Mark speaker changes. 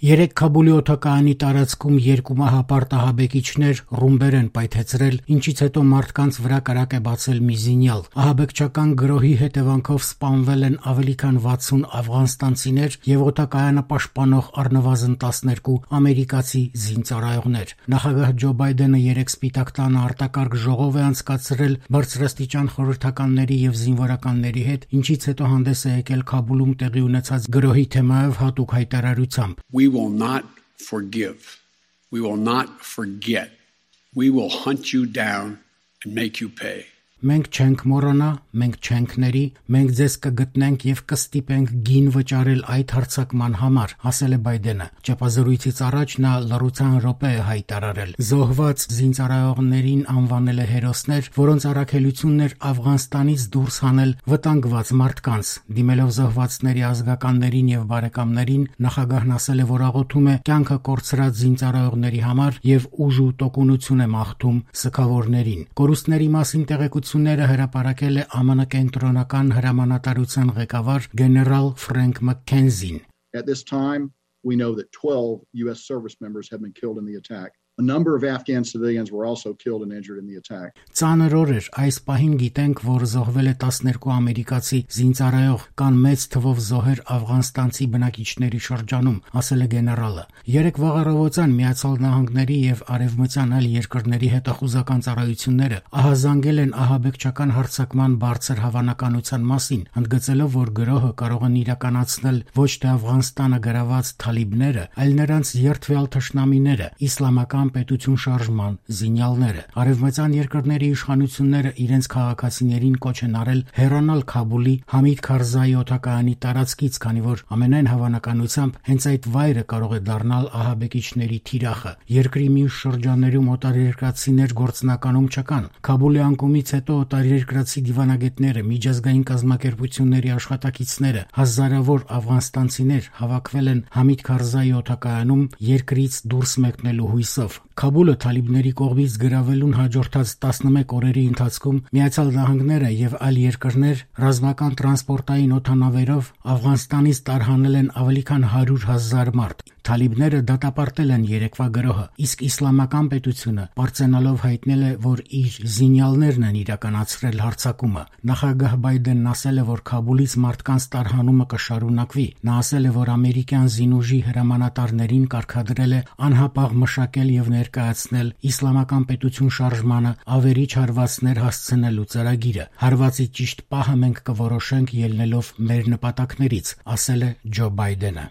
Speaker 1: Երեք Քաբուլի օդակայանի տարածքում երկու մահապարտ ահաբեկիչներ ռումբեր են պայթեցրել, ինչից հետո մարդկանց վրա կրակ է բացել մի զինյալ։ Ահաբեկչական գրոհի հետևանքով սպանվել են ավելի քան 60 աֆղանստանցիներ եւ օդակայանը պաշտպանող առնվազն 12 ամերիկացի զինծառայողներ։ Նախագահ Ջո Բայդենը երեք Սպիտակ տանը արտակարգ ժողով է անցկացրել բարձրաստիճան խորհրդականների եւ զինվորականների հետ, ինչից հետո հանդես է եկել Քաբուլում տեղի ունեցած գրոհի թեմայով հատուկ հայտարարությամբ։
Speaker 2: We will not forgive. We will not forget. We will hunt you down and make you pay.
Speaker 1: Մենք չենք մոռանա, մենք չենք ների, մենք ձեզ կգտնենք եւ կստիպենք գին վճարել այդ հարձակման համար, ասել է Բայդենը։ Ճեպազրույցից առաջ նա լռության րոպե է հայտարարել։ Զոհված զինծառայողներին անվանել է հերոսներ, որոնց առաքելությունն էր Աֆղանստանից դուրս հանել վտանգված մարդկանց։ Դիմելով զոհվածների ազգականներին եւ բարեկամներին, նախագահն ասել է, որ աղոթում է կյանքը կորցրած զինծառայողների համար եւ ուժ ու տոկունություն է մաղթում սգավորներին։ Կորուստների մասին տեղեկությունները հրապարակել է ԱՄՆ կենտրոնական հրամանատարության ղեկավար գեներալ Ֆրենկ Մաքքենզին։
Speaker 3: At this time, we know that 12 US service members have been killed in the attack. A number of Afghan civilians were also killed and injured in the attack.
Speaker 1: Ծանր օր էր, այս պահին գիտենք, որ զոհվել է 12 ամերիկացի զինծառայող, կան մեծ թվով զոհեր աֆղանստանցի բնակիչների շրջանում, ասել է գեներալը։ Երեք վաղ առավոտյան Միացյալ Նահանգների եւ Արևմտյան այլ երկրների հետախուզական ծառայությունները ահազանգել են ահաբեկչական հարձակման բարձր հավանականության մասին, ընդգծելով, որ գրոհը կարող են իրականացնել ոչ թե Աֆղանստանը գրաված թալիբները, այլ նրանց երդվյալ թշնամիները, իսլամական պետություն շարժման զինյալները։ Արևմտյան երկրների իշխանությունները իրենց քաղաքացիներին կոչ են արել հեռանալ Քաբուլի Համիդ Քարզայի օդակայանի տարածքից, քանի որ ամենայն հավանականությամբ հենց այդ վայրը կարող է դառնալ ահաբեկիչների թիրախը։ Երկրի մյուս շրջաններում օտարերկրացիներ գործնականում չկան։ Քաբուլի անկումից հետո օտարերկրացի դիվանագետները, միջազգային կազմակերպությունների աշխատակիցները, հազարավոր աֆղանստանցիներ հավաքվել են Համիդ Քարզայի օդակայանում երկրից դուրս մեկնելու հույսով։ Քաբուլը թալիբների կողմից գրավելուն հաջորդած 11 օրերի ընթացքում Միացյալ Նահանգները եւ այլ երկրներ ռազմական տրանսպորտային օդանավերով Աֆղանստանից տարհանել են ավելի քան 100,000 մարդ։ Թալիբները դատապարտել են երեկվա գրոհը, իսկ իսլամական պետությունը պարծենալով հայտնել է, որ իր զինյալներն են իրականացրել հարձակումը։ Նախագահ Բայդենն ասել է, որ Քաբուլից մարդկանց տարհանումը կշարունակվի։ Նա ասել է, որ ամերիկյան զինուժի հրամանատարներին կարգադրել է անհապաղ մշակել եւ ներկայացնել իսլամական պետություն շարժմանը ավերիչ հարվածներ հասցնելու ծրագիրը։ Հարվածի ճիշտ պահը մենք կորոշենք ելնելով մեր նպատակներից, ասել է Ջո Բայդենը։